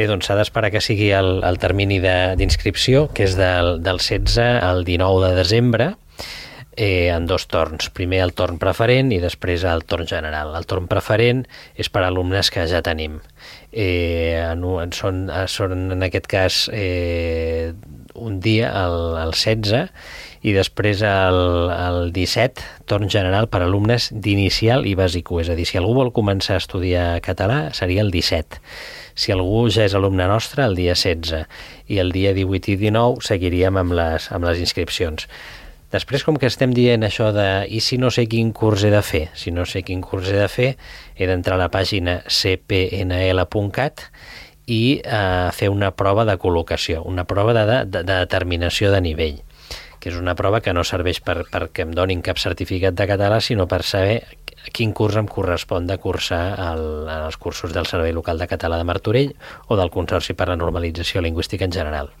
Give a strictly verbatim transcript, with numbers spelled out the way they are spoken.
Bé, doncs s'ha d'esperar que sigui el, el termini d'inscripció, que és del, del setze al dinou de desembre, eh, en dos torns. Primer el torn preferent i després el torn general. El torn preferent és per a alumnes que ja tenim. Eh, en, en, són, són, en aquest cas, eh, un dia, el, el setze, i després el, el disset, torn general per a alumnes d'inicial i bàsic u. És a dir, si algú vol començar a estudiar català, seria el disset. Si algú ja és alumne nostre, el dia setze. I el dia divuit i dinou seguiríem amb les, amb les inscripcions. Després, com que estem dient això de i si no sé quin curs he de fer? Si no sé quin curs he de fer, he d'entrar a la pàgina c p n l punt cat i eh, fer una prova de col·locació, una prova de, de, de determinació de nivell, que és una prova que no serveix per, perquè em donin cap certificat de català, sinó per saber quin curs em correspon de cursar el, els cursos del Servei Local de Català de Martorell o del Consorci per la Normalització Lingüística en general.